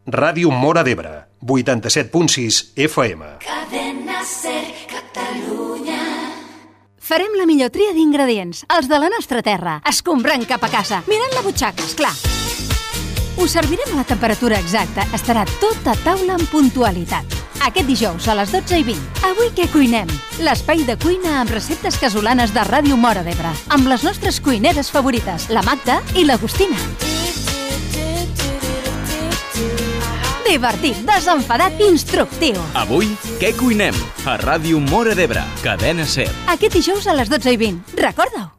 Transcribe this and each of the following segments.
Ràdio Móra d'Ebre, 87.6 FM. Cadena Ser Catalunya. Farem la millor tria d'ingredients, els de la nostra terra, escombrant cap a casa, mirant la butxaca, esclar. Us servirem a la temperatura exacta, estarà tot a taula amb puntualitat. Aquest dijous a les 12:20. Avui què cuinem? L'espai de cuina amb receptes casolanes de Ràdio Móra d'Ebre, amb les nostres cuineres favorites, la Magda i l'Agustina. Divertit, desenfadat, instructiu. Avui, què cuinem? A Ràdio Móra d'Ebre, Cadena Ser. Aquest dijous a les 12:20. Recorda-ho.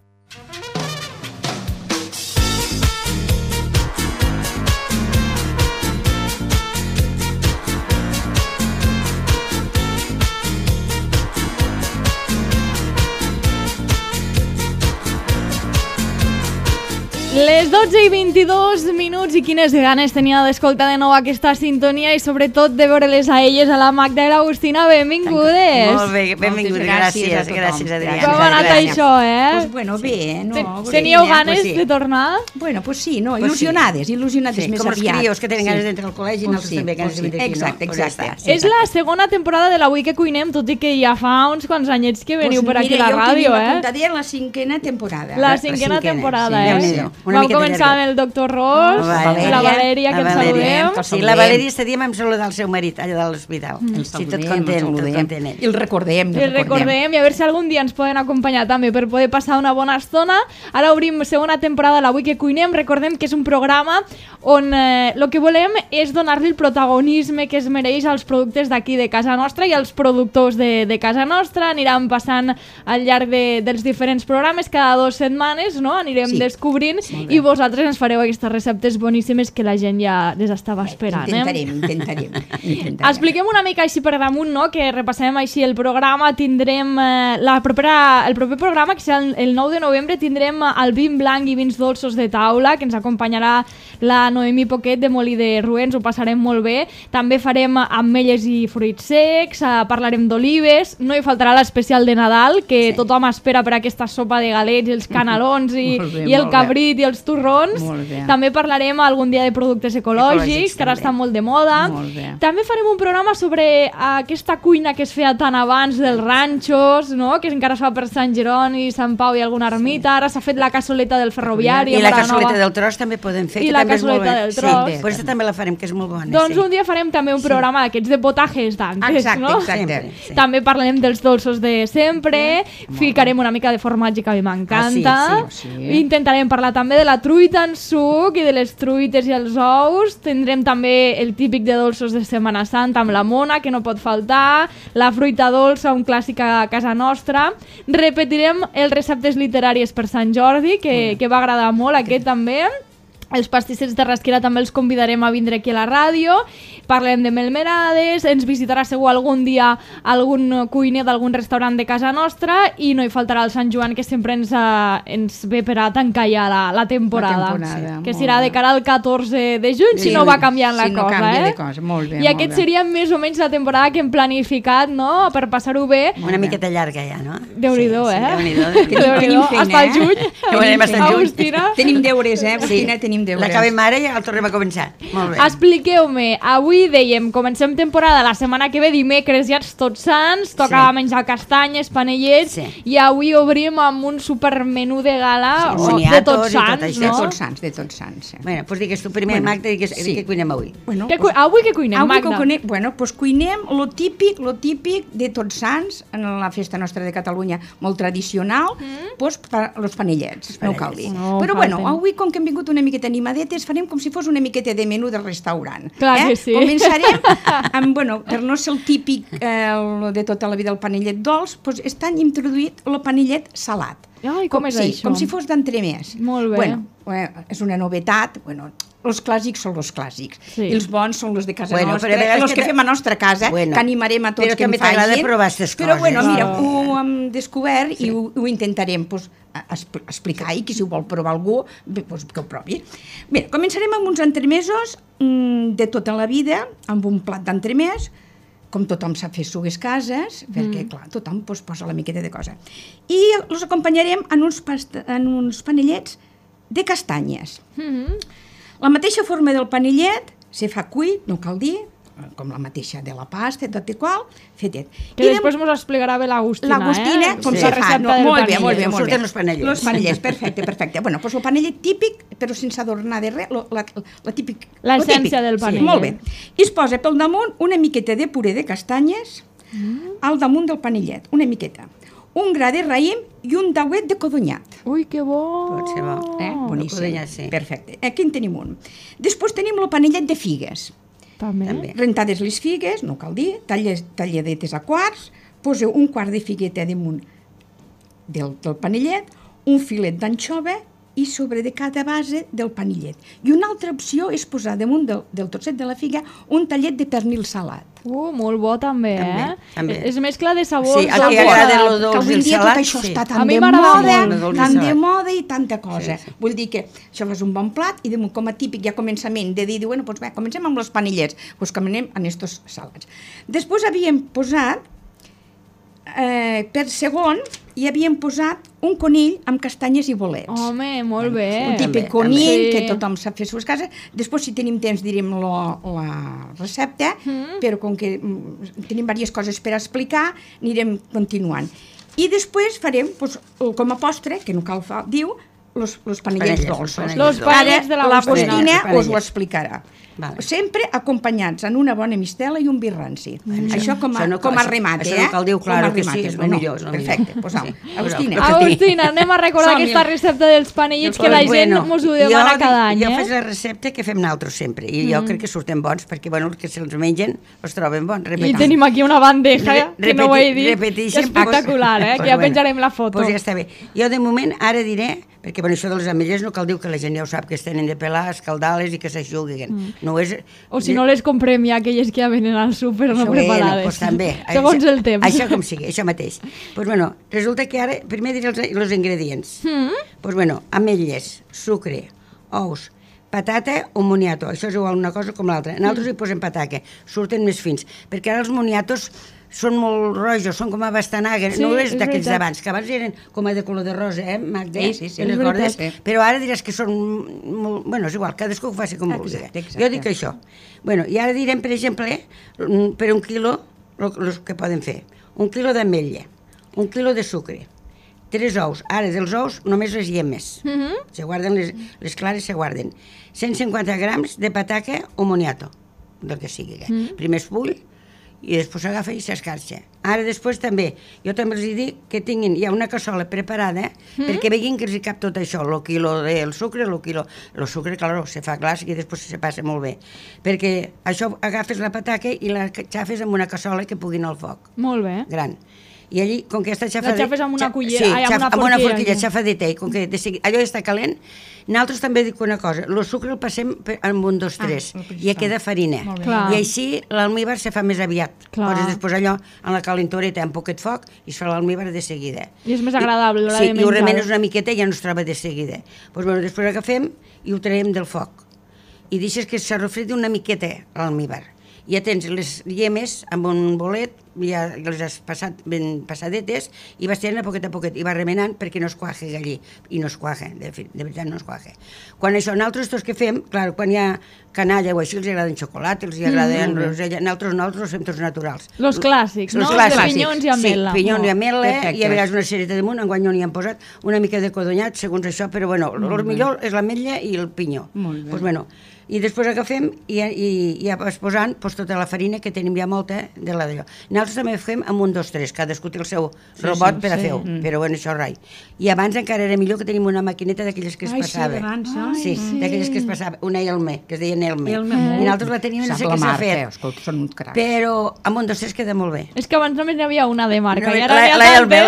Les 12:22 i quines ganes tenia d'escoltar de nou aquesta sintonia i sobretot de veure-les a elles, a la Magda i l'Agustina. Benvingudes. Molt bé, benvingudes. Gràcies, Adrià. Com ha anat això, Pues bueno, bé, no? Teníeu ganes de tornar? Bueno, pues sí, no, il·lusionades més com aviat. els crios que tenen ganes d'entrar al col·legi i nosaltres també ganes de venir aquí. Exacte. És la segona temporada de l'Avui que cuinem, tot i que ja fa uns quants anyets que veniu per aquí a la ràdio, Jo tenia apuntada la 5ª temporada. La 5ª temporada, Vam començar amb el doctor Ros, la Valèria, que ens saludem. Sí, la Valèria este dia vam saludar el seu marit allà de l'hospital. Sí, tot content ell. I el recordem. I a veure si algun dia ens poden acompanyar també per poder passar una bona estona. Ara obrim segona temporada de l'Avui que cuinem. Recordem que és un programa on el que volem és donar-li el protagonisme que es mereix als productes d'aquí de casa nostra i als productors de casa nostra. Aniran passant al llarg dels diferents programes, cada 2 setmanes, no? Anirem descobrint i vosaltres ens fareu aquestes receptes boníssimes que la gent ja les estava esperant. Intentarem. Expliquem una mica així per damunt, no? Que repassem així el programa. Tindrem el proper programa, que serà el 9 de novembre, tindrem el vin blanc i vins dolços de taula, que ens acompanyarà la Noemí Poquet de Molí de Ruens, ho passarem molt bé. També farem ametlles i fruits secs, parlarem d'olives, no hi faltarà l'especial de Nadal, que tothom espera per aquesta sopa de galets, els canelons i el cabrit i els torrons. També parlarem algun dia de productes ecològics, que ara estan molt de moda. També farem un programa sobre aquesta cuina que es feia tant abans dels ranxos, no? Que encara es fa per Sant Jeroni, Sant Pau i alguna ermita. Ara s'ha fet la cassoleta del ferroviari. I la cassoleta del tros també podem fer. I la cassoleta del tros. Sí, aquesta també la farem, que és molt bona. Doncs un dia farem també un programa d'aquests de potajes d'antes, no? Exacte. També parlarem dels dolços de sempre, ficarem una mica de formatge que a mi m'encanta. Intentarem parlar també de la truita en suc i de les truites i els ous. Tindrem també el típic de dolços de Setmana Santa amb la mona, que no pot faltar, la fruita dolça, un clàssic a casa nostra. Repetirem els receptes literaris per Sant Jordi, que va agradar molt aquest també. Els pastissets de Rasquera també els convidarem a vindre aquí a la ràdio. Parlem de melmerades, ens visitarà segur algun dia algun cuiner d'algun restaurant de casa nostra i no hi faltarà el Sant Joan, que sempre ens ve per a tancar ja la temporada. Que serà de cara al 14 de juny, si no va canviant la cosa. Si no canvia de cosa, molt bé. I aquest seria més o menys la temporada que hem planificat, no?, per passar-ho bé. Una miqueta llarga ja, no? Déu-n'hi-do, Tenim feina, hasta el juny. Agustina. Tenim deures, Agustina, tenim deures. L'acabem ara i el tornem a començar. Molt bé. Expliqueu-me, avui dèiem, comencem temporada, la setmana que ve, dimecres, ja Tots Sants, toca menjar castanyes, panellets, i avui obrim amb un supermenú de gala de Tots Sants, no? De Tots Sants. Bueno, doncs digues tu primer, Magda, i què cuinem avui? Avui què cuinem, Magda? Bueno, doncs cuinem lo típic de Tots Sants, en la festa nostra de Catalunya, molt tradicional, doncs els panellets, no cal dir. Però bueno, avui, com que hem vingut una miqueta animadetes, farem com si fos una miqueta de menú del restaurant. Clar que sí. Començarem amb, per no ser el típic de tota la vida el panellet dolç, doncs estan introduït el panellet salat. Ai, com és això? Com si fos d'entremès. Molt bé. És una novetat, els clàssics són els clàssics, i els bons són els de casa nostra, els que fem a nostra casa, que animarem a tots que en facin. Però també t'agrada provar aquestes coses. Però mira, ho hem descobert i ho intentarem explicar, i que si ho vol provar algú, que ho provi. Bé, començarem amb uns entremesos de tota la vida, amb un plat d'entremès, com tothom sap fer sugues cases, perquè, clar, tothom posa la miqueta de cosa. I els acompanyarem en uns panellets de castanyes. La mateixa forma del panellet, se fa cuit, no cal dir, com la mateixa de la pasta, tot i qual, fetet. Que després ens explicarà bé l'Agustina, L'Agustina, com se fa. Molt bé, molt bé. Surten els panellets. Els panellets, perfecte. Bueno, doncs el panellet típic, però sense adornar de res, la típic. L'essència del panellet. Molt bé. I es posa pel damunt una miqueta de puré de castanyes al damunt del panellet, una miqueta. Un gra de raïm i un dauet de codonyat. Ui, que bo! Pot ser bo. Boníssim. Codonyat, sí. Perfecte. Aquí en tenim un. Després tenim el panellet de figues. També. Rentades les figues, no cal dir, talladetes a quarts, poseu un quart de figueta damunt del panellet, un filet d'anxova i sobre de cada base del panellet. I una altra opció és posar damunt del trosset de la figa un tallet de pernil salat. Molt bo també, També. És mescla de sabors. Sí, a qui agrada el dolç que avui i el en dia salat, tot això sí. està A tan mi de m'agrada moda, molt. tan de moda i tanta cosa. Sí. Vull dir que això fas un bon plat i com a típic ja començament de dir, bueno, doncs bé, comencem amb els panellets, doncs comencem amb estos salats. Després havíem posat, per segon, hi havíem posat un conill amb castanyes i bolets. Home, molt bé. Un típic També, conill també. que tothom sap fer a les cases. Després, si tenim temps, direm la recepta, però com que tenim diverses coses per explicar, anirem continuant. I després farem, doncs, com a postre, que no cal diu, los panellets dolços. Los panellets de l'Agustina. L'Agustina us ho explicarà. Vale. Sempre acompanyats en una bona mistela i un vi ranci. Això com a remate, això no cal dir, claro que sí, és el no, millor. Perfecte, posam. Sí. Agustina. Agustina, anem a recordar aquesta recepta dels panellets que la gent mos ho demana cada any. Jo faig la recepta que fem nosaltres sempre, i jo crec que surten bons, perquè els que se'ls mengen els troben bons. I tenim aquí una bandeja, que no ho he dit, espectacular, que ja penjarem la foto. Doncs ja està bé. Jo de moment ara diré, perquè això de les ametlles no cal dir que la gent ja ho sap, que es tenen de pelar, escaldar-les i que s'aixuguen. No és... O si no les comprem ja aquelles que ja venen al súper no preparades. Doncs també. Segons el temps. Això com sigui, això mateix. Doncs bueno, resulta que ara, primer diré els ingredients. Doncs bueno, ametlles, sucre, ous, patata o moniato. Això és igual una cosa com l'altra. Nosaltres hi posem patata, surten més fins, perquè ara els moniatos són molt rojos, són com a bastanaga, no és d'aquells d'abans, que abans eren com a de color de rosa, Magda? Sí, les gordes, però ara diràs que són molt... Bueno, és igual, cadascú ho faci com vulgui. Jo dic això. Bueno, i ara direm, per exemple, per un quilo, el que poden fer. Un quilo d'ametlla, un quilo de sucre, 3 ous. Ara, dels ous, només les llemes. Se guarden, les clares se guarden. 150 grams de patata o moniato, del que sigui. Primer es bull, i després s'agafa i s'escarxa. Ara després també, jo també els dic que tinguin ja una cassola preparada perquè veguin que els hi cap tot això, el quilo del sucre, el sucre, clar, se fa glaç i després se passa molt bé. Perquè això agafes la patata i la xafes amb una cassola que pugui anar al foc. Molt bé. Gran. I allí, com que està xafada... La xafes amb una cullera, amb una forquilla xafadeta, i com que allò ja està calent, nosaltres també dic una cosa, el sucre el passem amb un, 2, 3, i ja queda farina. I així l'almíbar se fa més aviat. Poses després allò en la calentoreta amb poquet foc i es fa l'almíbar de seguida. I és més agradable l'hora de menjar. Sí, i ho remenes una miqueta i ja no es troba de seguida. Doncs després agafem i ho traiem del foc. I deixes que s'arrofredi una miqueta l'almíbar. Ja tens les llemes amb un bolet, ja les has passat ben passadetes i vas tirant a poquet i vas remenant perquè no es cuaje allí, i no es cuaje, de veritat no es cuaje. Quan això, nosaltres tots que fem, clar, quan hi ha canalla o així els agraden xocolata, els agraden rosella, nosaltres fem tots naturals. Los clàssics, no? Els de pinyons i ametla. Sí, pinyons i ametla, i a vegades una cereta damunt, enguany no n'hi han posat, una mica de codonyat, segons això, però bueno, el millor és l'ametlla i el pinyó. Molt bé. Doncs bueno, i després agafem i ja vas posant tota la farina, que tenim ja molta de la d'allò. Nosaltres també fem amb un, 2, 3, cadascú té el seu robot per a fer-ho, però bueno, això rai. I abans encara era millor que tenim una maquineta d'aquelles que es passava. Sí, d'aquelles que es passava, una Elme, que es deia Elme. I nosaltres la teníem, no sé què s'ha fet. Però amb un, 2, 3 queda molt bé. És que abans només n'hi havia una de marca, i ara la Elme,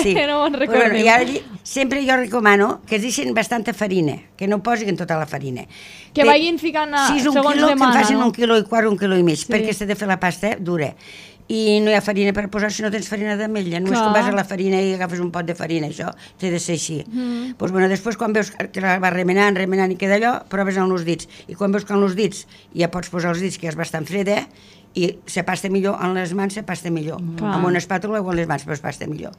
sí. Que no me'n recordem. I ara sempre jo recomano que es deixin bastanta farina, que no posin tota la farina. Que vagin ficant segons demana. Que en facin 1,25 quilos, 1,5 quilos, perquè s'ha de fer la pasta dura. i no hi ha farina per posar si no tens farina d'ametlla. Només Clar. quan vas a la farina i agafes un pot de farina, això té de ser així. Doncs, bueno, després, quan veus que la vas remenant i queda allò, proves amb els dits. I quan veus que amb els dits ja pots posar els dits, que ja és bastant freda, i se pasta millor en les mans, se pasta millor. Clar. Amb una espàtula o en les mans, però es pasta millor.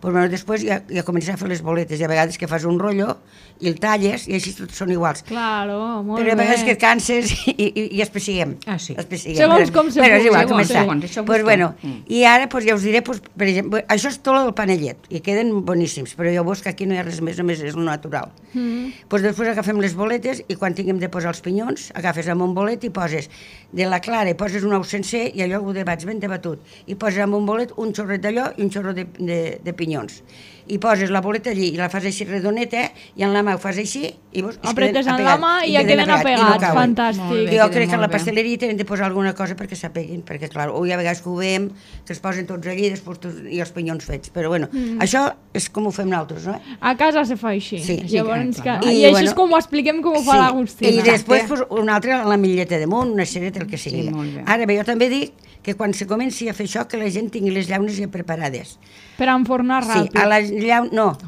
Doncs, bueno, després ja comences a fer les boletes, i a vegades que fas un rotllo i el talles, i així tots són iguals. Claro, molt Però a bé. vegades que et canses i espessiguem. Ah, sí. Segons com se Però és pugui, igual, segons, començar. segons, això Pues, busca. bueno, i ara ja us diré, per exemple, això és tot el panellet, i queden boníssims, però ja veus que aquí no hi ha res més, només és el natural. Pues després agafem les boletes i quan tinguem de posar els pinyons, agafes amb un bolet i poses de la clara, i poses un ou sencer i allò ho debats ben debatut, i poses amb un bolet un xorret d'allò i un xorro de pinyons. I poses la boleta allí i la fas així redoneta i en la mà ho fas així i veus, Apretes en la mà i ja queden apegats, fantàstic. Jo crec que a la pasteleria tenen de posar alguna cosa perquè s'apeguin, perquè clar, o hi ha vegades que ho veiem, que es posen tots allí i els pinyons fets, però bueno, això és com ho fem nosaltres, no? A casa se fa així. Sí, Llavors, clar. I això és com ho expliquem com ho fa l'Agustina. I després pues, una altra, la mitlleta damunt, una cereta, el que sigui. Sí, molt bé. Ara bé, jo també dic que quan se comenci a fer això, que la gent tingui les llaunes ja preparades. Per enfornar Sí, ràpid. a les llaunes, no,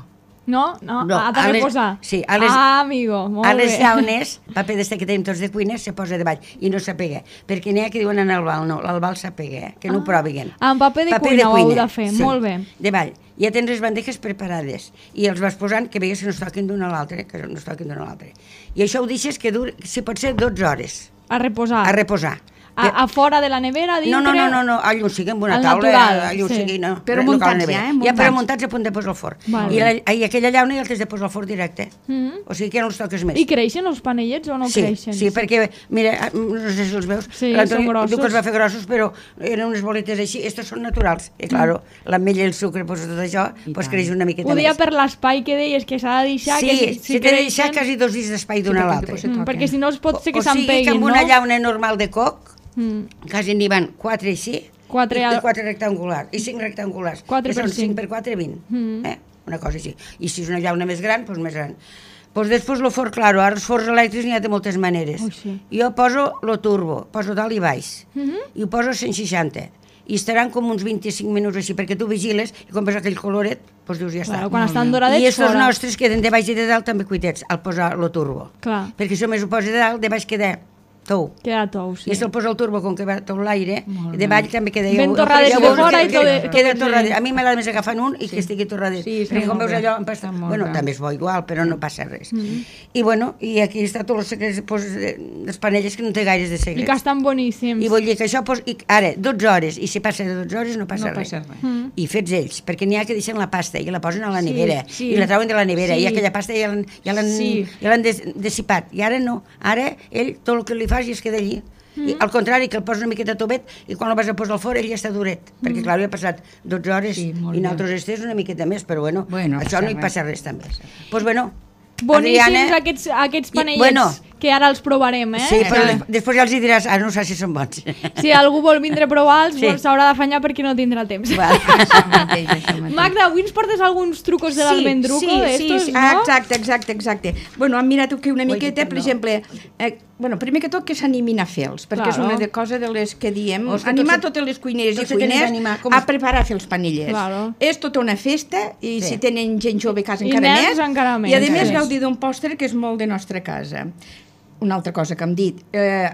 No, ha de a les- reposar. sí, a les- amigo, molt a les bé. llaunes, paper d'este que tenim tots de cuina, se posa davall i no s'apega. Perquè n'hi ha que diuen en el bal, no, l'albal s'apega, que no ho proviguen. Amb paper de cuina ho heu de fer, molt bé. Davall. Ja tens les bandejes preparades i els vas posant que veigues que no es toquin d'una a l'altra, que no es toquin d'una a l'altra. I això ho deixes que duri, si pot ser 12 hores, A reposar. a reposar. A fora de la nevera, a dintre... No, allò sigui amb una Al taula, natural, allò sí. sigui, no. Però no cal muntats nevera. ja, Ja, muntats. però muntats a punt de posar al forn. Vale. I aquella llauna ja el tens de posar al forn directe. O sigui que ja no els toques més. I creixen els panellets o no Sí, creixen? sí, perquè, mira, no sé si els veus, Sí, l'Antoni són grossos. diu que els va fer grossos, però eren unes boletes així, estos són naturals. I, claro, l'ametlla i el sucre, pues, tot això, pues, creix una miqueta Ho dia més. per l'espai que deies que s'ha de deixar... Sí, que si t'he de deixar quasi 2 dits d'espai d'una a l'altra. perquè si no es pot ser que O sigui que s'empeguin, amb no? una llauna normal de coc, quasi n'hi van 4 així, Quatre i al- 4 rectangulars, i 5 rectangulars, 4 que per són 5 cinc. per 4, 20, una cosa així. I si és una llauna més gran, doncs més gran. Doncs després el forn, claro, ara els forns elèctrics n'hi ha de moltes maneres. Ui, sí. Jo poso lo turbo, poso dalt i baix, i ho poso a 160, i estaran com uns 25 minuts així, perquè tu vigiles, i quan veus aquell coloret, doncs dius, ja està. Claro, quan estan doradets, I estos fora. nostres queden de baix i de dalt també cuitets, al posar lo turbo. Clar. Perquè si només ho posa de dalt, de baix queda tou. Queda tou, sí. I si el posa el turbo, com que va tot l'aire, de baix també queda... Ben torradet ja de veus fora que i tot queda de- torradet. A mi m'agrada més agafar un i que estigui torradet. Sí, està perquè com molt veus bé. allò, em passa... Està molt Bueno, bé. també és bo igual, però no passa res. I bueno, i aquí està tot el secret dels panelles que no té gaires de I secret. que estan boníssims. I vull dir que això, ara, 12 hores, i si passa de 12 hores no passa No res. passa res. I fets ells, perquè n'hi ha que deixen la pasta i la posen a la Sí, nevera, sí. i la trauen de la nevera, Sí. i aquella pasta ja l'han Sí. dissipat. I ara no, ara ell tot el que li fas i es queda allí. I, al contrari, que el posa una miqueta tovet i quan el vas a posar al forn ell ja està duret, perquè clar, ja ha passat 12 hores Sí, molt i bé. nosaltres estés una miqueta més, però bueno, Bueno, això passa no hi res. passa res també. Doncs bueno, Boníssims Adriana, aquests i- panellets, bueno. que ara els provarem, eh? sí, però després ja els hi diràs, ara no sé si són bons. Si algú vol vindre a provar-los, Sí. s'haurà d'afanyar perquè no tindrà temps. Va. Això mateix, això mateix. Magda, avui ens portes alguns trucos de l'almendruco, d'estos, sí. no? Exacte. Bueno, hem mirat aquí una miqueta, per no. exemple, bueno, primer que tot que s'animin a fer-los, perquè és Claro. una cosa de les que diem, Oh, és que animar tot se- totes les cuineres tot i se tenen cuiners d'animar, com a es- preparar a fer els panellets. Claro. És tota una festa, i Sí. si tenen gent jove a casa I encara nens més, encara més, i a més sí. gaudir d'un pòster que és molt de nostra casa. Una altra cosa que hem dit,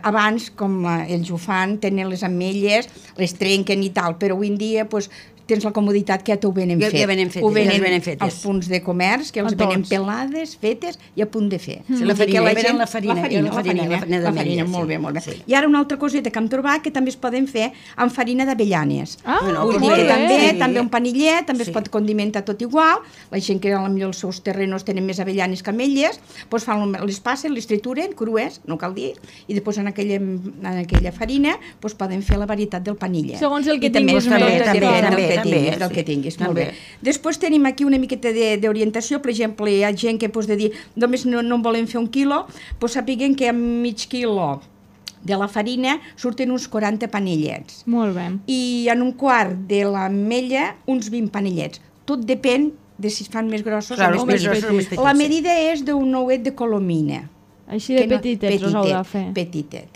abans, com ells ho fan, tenen les ametlles, les trenquen i tal, però avui en dia pues, tens la comoditat que ja t'ho venen Ja fet. venen fetes, Ho ja les venen fetes. als punts de comerç, que els A venen tots. pelades, fetes i a punt de fer. Sí, la I farina, que ja venen la farina, la farina farina d'ametlla, molt sí. bé, molt bé. Sí. I ara una altra coseta que hem trobat que també es poden fer amb farina d'avellanes. Ah, Bueno, Vull dir molt que bé. també, Sí. també un panillet, també Sí. es pot condimentar tot igual. La gent que potser els seus terrenos tenen més avellanes que ametlles, doncs les passen, les trituren, crues, no cal dir, i després en aquella farina doncs poden fer la varietat del panillet. Segons el que I també tinguis és molt més, depèn també, del que també, tinguis, del sí. que tinguis, molt També. bé. Després tenim aquí una miqueta d'orientació, per exemple, hi ha gent que de dir només no en volen fer 1 quilo, doncs sapiguen que amb mig quilo de la farina surten uns 40 panellets Molt bé. i en un quart de l'ametlla uns 20 panellets. Tot depèn de si es fan més grossos Claro, o més més grossos o més petits. petits, La sí. medida és d'un ouet de colomina. Així de petitets us heu de fer. Petitet.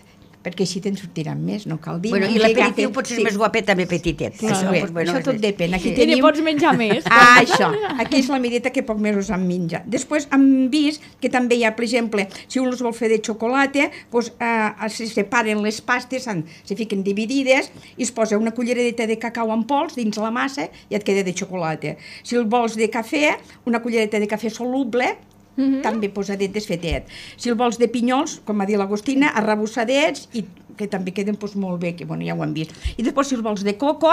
perquè així te'n sortiran més, no cal dir. Bueno, i l'aperitiu potser és més guapet, també petitet. Això tot depèn. Aquí I n'hi pots menjar més. Això. Aquí és la mideta que poc més us en menja. Després hem vist que també hi ha, per exemple, si un els vol fer de xocolata, doncs se separen les pastes, se fiquen dividides i es posa una culleradeta de cacau en pols dins la massa i et queda de xocolata. Si el vols de cafè, una cullereta de cafè soluble, també posadet desfetet. Si el vols de pinyols, com va dir l'Agostina, arrebossadets, i que també queden molt bé, que ja ho hem vist. I després, si els vols de coco,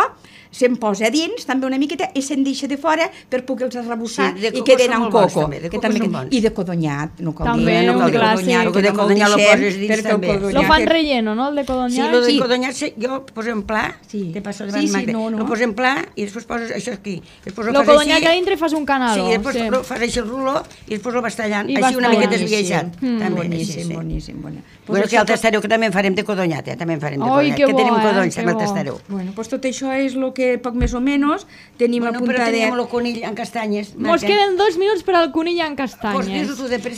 se'n posa a dins, també una miqueta, i se'n deixa de fora per poder-los arrebossar i queden amb coco. I de codonyat, no cal dir. També, un clàssic. De codonyat lo poses dins també. Lo fan relleno, no, el de codonyat? Sí, el de codonyat jo poso en pla, te passo davant Magda, lo poso en pla i després poses això aquí. Lo codonyat que dintre fas un canalo. Sí, després fas així el ruló i després lo vas tallant, així una miqueta esbiaixat. Boníssim. Bueno, que al tastareu que també en farem de codonyat, també en farem de codonyat, que tenim codonys amb el tastareu. Bueno, doncs tot això és el que poc més o menys tenim apuntat. Però tenim el conill en castanyes. Mos queden 2 minuts per al conill en castanyes.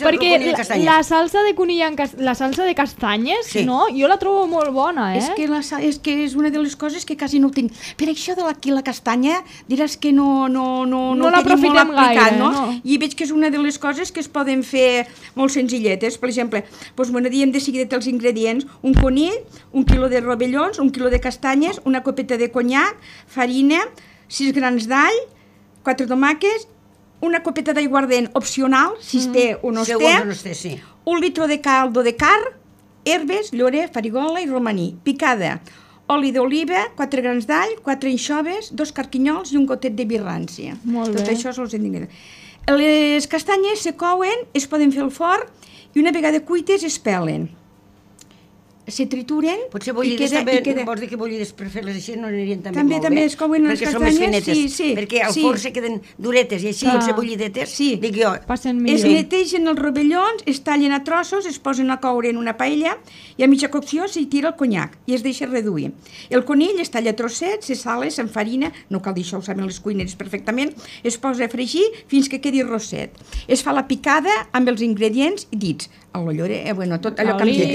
Perquè la salsa de conill la salsa de castanyes, no? Jo la trobo molt bona, És que és una de les coses que quasi no tinc. Per això de la castanya diràs que no l'aprofitem gaire, no? I veig que és una de les coses que es poden fer molt senzilletes. Per exemple, diem de seguida els ingredients: un conill, 1 quilo de rovellons, 1 quilo de castanyes, una copeta de conyac, farina, 6 grans d'all, 4 tomàquets, una copeta d'aiguardent opcional, si es té o no es té, 1 litre de caldo de carn, herbes, llorer, farigola i romaní, picada, oli d'oliva, 4 grans d'all, 4 anxoves, 2 carquinyols i un gotet de vi ranci. Tot això són els ingredients. Les castanyes se couen, es poden fer al forn i una vegada cuites es pelen. Se trituren. Potser bullides també, vols dir que bullides per fer-les així no anirien també molt bé? També es couen les castanyes, perquè al forn se queden duretes i així, potser bullidetes, dic jo. Es netegen els rovellons, es tallen a trossos, es posen a coure en una paella i a mitja cocció s'hi tira el conyac i es deixa reduir. El conill es talla a trossets, se sala, s'enfarina, no cal dir això, ho saben les cuineres perfectament, es posa a fregir fins que quedi rosset. Es fa la picada amb els ingredients dits, tot allò que hem dit.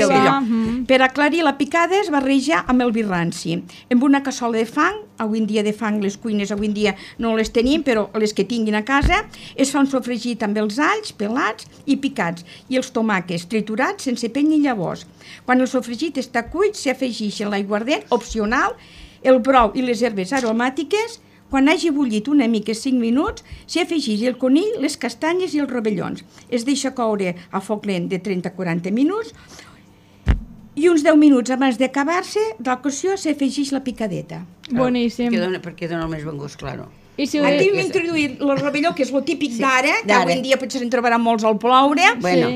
Per aclarir la picada es barreja amb el vi ranci. Amb una cassola de fang, avui en dia de fang les cuines avui en dia no les tenim, però les que tinguin a casa, es fa un sofregit amb els alls pelats i picats i els tomàquets triturats sense pell ni llavors. Quan el sofregit està cuit, s'afegeix l'aiguardent opcional, el brou i les herbes aromàtiques. Quan hagi bullit una mica 5 minuts, s'hi afegeix el conill, les castanyes i els rovellons. Es deixa coure a foc lent de 30 a 40 minuts i uns 10 minuts abans d'acabar-se de la cocció s'afegeix la picadeta. Boníssim. Perquè dona el més bon gust, claro. Aquí hem introduït el rovelló, que és el típic d'ara, que avui en dia potser se'n trobarà molts al ploure,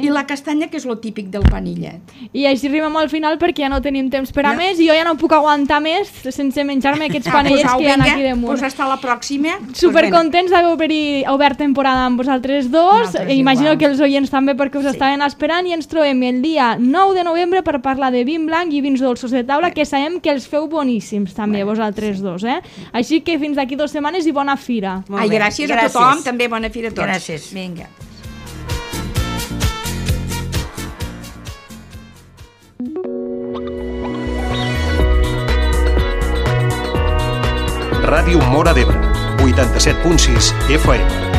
i la castanya, que és el típic del panillet. I així arribem al final perquè ja no tenim temps per a més i jo ja no puc aguantar més sense menjar-me aquests panellets que hi ha aquí damunt. Doncs hasta la pròxima. Supercontents d'haver obert temporada amb vosaltres dos. Imagino que els oients també, perquè us estaven esperant, i ens trobem el dia 9 de novembre per parlar de vin blanc i vins dolços de taula, que sabem que els feu boníssims també, vosaltres dos. Així que fins d'aquí 2 setmanes i bona fira. Gràcies a tothom, també bona fira a tots. Gràcies. Vinga. Ràdio Móra d'Ebre, 87.6 FM.